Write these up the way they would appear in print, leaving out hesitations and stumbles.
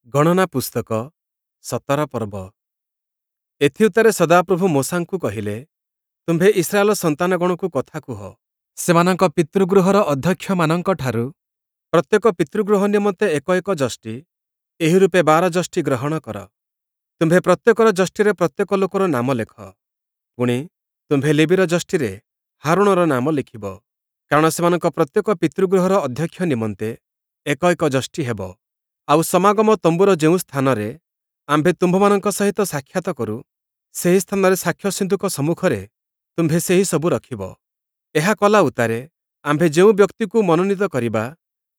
ଗଣନା ପୁସ୍ତକ 17 ପର୍ବ। ଏଥିଉତ୍ତାରେ ସଦାପ୍ରଭୁ ମୋଶାଙ୍କୁ କହିଲେ, ତୁମ୍ଭେ ଇସ୍ରାଏଲ ସନ୍ତାନଗଣକୁ କଥା କୁହ, ସେମାନଙ୍କ ପିତୃଗୃହର ଅଧ୍ୟକ୍ଷମାନଙ୍କଠାରୁ ପ୍ରତ୍ୟେକ ପିତୃଗୃହ ନିମନ୍ତେ ଏକ ଏକ ଯଷ୍ଟି, ଏହି ରୂପେ 12 ଯଷ୍ଟି ଗ୍ରହଣ କର। ତୁମ୍ଭେ ପ୍ରତ୍ୟେକର ଯଷ୍ଟିରେ ପ୍ରତ୍ୟେକ ଲୋକର ନାମ ଲେଖ। ପୁଣି, ତୁମ୍ଭେ ଲେବୀର ଯଷ୍ଟିରେ ହାରୋଣର ନାମ ଲେଖିବ, କାରଣ ସେମାନଙ୍କ ପ୍ରତ୍ୟେକ ପିତୃଗୃହର ଅଧ୍ୟକ୍ଷ ନିମନ୍ତେ ଏକ ଏକ ଯଷ୍ଟି ହେବ। ଆଉ ସମାଗମ ତମ୍ବୁର ଯେଉଁ ସ୍ଥାନରେ ଆମ୍ଭେ ତୁମ୍ଭମାନଙ୍କ ସହିତ ସାକ୍ଷାତ କରୁ, ସେହି ସ୍ଥାନରେ ସାକ୍ଷ୍ୟ ସିନ୍ଦୁକ ସମ୍ମୁଖରେ ତୁମ୍ଭେ ସେହି ସବୁ ରଖିବ। ଏହା କଲା ଉତ୍ତାରେ ଆମ୍ଭେ ଯେଉଁ ବ୍ୟକ୍ତିକୁ ମନୋନୀତ କରିବା,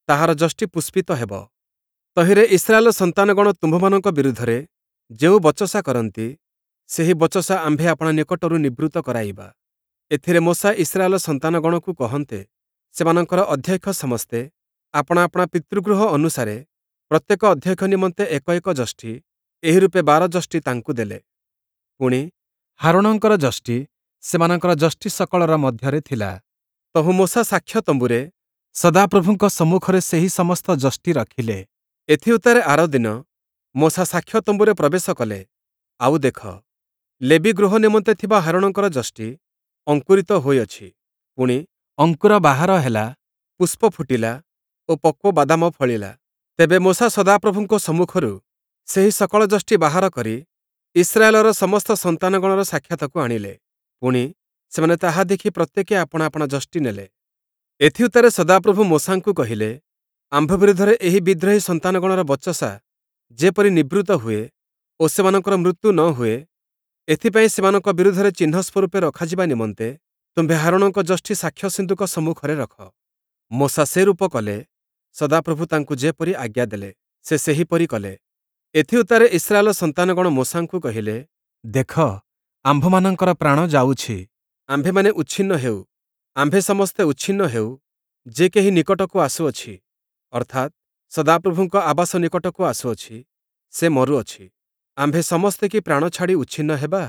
ତାହାର ଯଷ୍ଟି ପୁଷ୍ପିତ ହେବ। ତହିଁରେ ଇସ୍ରାଏଲ ସନ୍ତାନଗଣ ତୁମ୍ଭମାନଙ୍କ ବିରୁଦ୍ଧରେ ଯେଉଁ ବଚସା କରନ୍ତି, ସେହି ବଚସା ଆମ୍ଭେ ଆପଣା ନିକଟରୁ ନିବୃତ୍ତ କରାଇବା। ଏଥିରେ ମୋଶା ଇସ୍ରାଏଲ ସନ୍ତାନଗଣକୁ କହନ୍ତେ, ସେମାନଙ୍କର ଅଧ୍ୟକ୍ଷ ସମସ୍ତେ ଆପଣା ଆପଣା ପିତୃଗୃହ ଅନୁସାରେ ପ୍ରତ୍ୟେକ ଅଧ୍ୟକ୍ଷ ନିମନ୍ତେ ଏକ ଏକ ଯଷ୍ଟି, ଏହି ରୂପେ 12 ଯଷ୍ଟି ତାଙ୍କୁ ଦେଲେ। ପୁଣି, ହାରୋଣଙ୍କର ଯଷ୍ଟି ସେମାନଙ୍କର ଯଷ୍ଟି ସକଳର ମଧ୍ୟରେ ଥିଲା। ତହୁଁ ମୋଶା ସାକ୍ଷ୍ୟ ତମ୍ବୁରେ ସଦାପ୍ରଭୁଙ୍କ ସମ୍ମୁଖରେ ସେହି ସମସ୍ତ ଯଷ୍ଟି ରଖିଲେ। ଏଥିଉତ୍ତାରେ ଆରଦିନ ମୋଶା ସାକ୍ଷ୍ୟ ତମ୍ବୁରେ ପ୍ରବେଶ କଲେ, ଆଉ ଦେଖ, ଲେବୀ ଗୃହ ନିମନ୍ତେ ଥିବା ହାରୋଣଙ୍କର ଯଷ୍ଟି ଅଙ୍କୁରିତ ହୋଇଅଛି, ପୁଣି, ଅଙ୍କୁର ବାହାର ହେଲା, ପୁଷ୍ପ ଫୁଟିଲା ଓ ପକ୍ୱ ବାଦାମ ଫଳିଲା। ତେବେ ମୋଶା ସଦାପ୍ରଭୁଙ୍କ ସମ୍ମୁଖରୁ ସେହି ସକଳ ଯଷ୍ଟି ବାହାର କରି ଇସ୍ରାଏଲର ସମସ୍ତ ସନ୍ତାନଗଣର ସାକ୍ଷାତକୁ ଆଣିଲେ। ପୁଣି, ସେମାନେ ତାହା ଦେଖି ପ୍ରତ୍ୟେକେ ଆପଣା ଆପଣା ଯଷ୍ଟି ନେଲେ। ଏଥିଉତ୍ତାରେ ସଦାପ୍ରଭୁ ମୋଶାଙ୍କୁ କହିଲେ, ଆମ୍ଭ ବିରୁଦ୍ଧରେ ଏହି ବିଦ୍ରୋହୀ ସନ୍ତାନଗଣର ବଚସା ଯେପରି ନିବୃତ୍ତ ହୁଏ ଓ ସେମାନଙ୍କର ମୃତ୍ୟୁ ନ ହୁଏ, ଏଥିପାଇଁ ସେମାନଙ୍କ ବିରୁଦ୍ଧରେ ଚିହ୍ନ ସ୍ୱରୂପେ ରଖାଯିବା ନିମନ୍ତେ ତୁମ୍ଭେ ହାରୋଣଙ୍କ ଯଷ୍ଟି ସାକ୍ଷ୍ୟ ସିନ୍ଦୁକ ସମ୍ମୁଖରେ ରଖ। ମୋଶା ସେ ରୂପ କଲେ, ସଦାପ୍ରଭୁ ତାଙ୍କୁ ଯେପରି ଆଜ୍ଞା ଦେଲେ, ସେ ସେହିପରି କଲେ। ଏଥିଉତ୍ତାରେ ଇସ୍ରାଏଲ ସନ୍ତାନଗଣ ମୋଶାଙ୍କୁ କହିଲେ, ଦେଖ, ଆମ୍ଭମାନଙ୍କର ପ୍ରାଣ ଯାଉଛି, ଆମ୍ଭେମାନେ ଉଚ୍ଛିନ୍ନ ହେଉ, ଆମ୍ଭେ ସମସ୍ତେ ଉଚ୍ଛିନ୍ନ ହେଉ, ଯେ କେହି ନିକଟକୁ ଆସୁଅଛି, ଅର୍ଥାତ୍ ସଦାପ୍ରଭୁଙ୍କ ଆବାସ ନିକଟକୁ ଆସୁଅଛି, ସେ ମରୁଅଛି। ଆମ୍ଭେ ସମସ୍ତେ କି ପ୍ରାଣ ଛାଡ଼ି ଉଚ୍ଛିନ୍ନ ହେବା?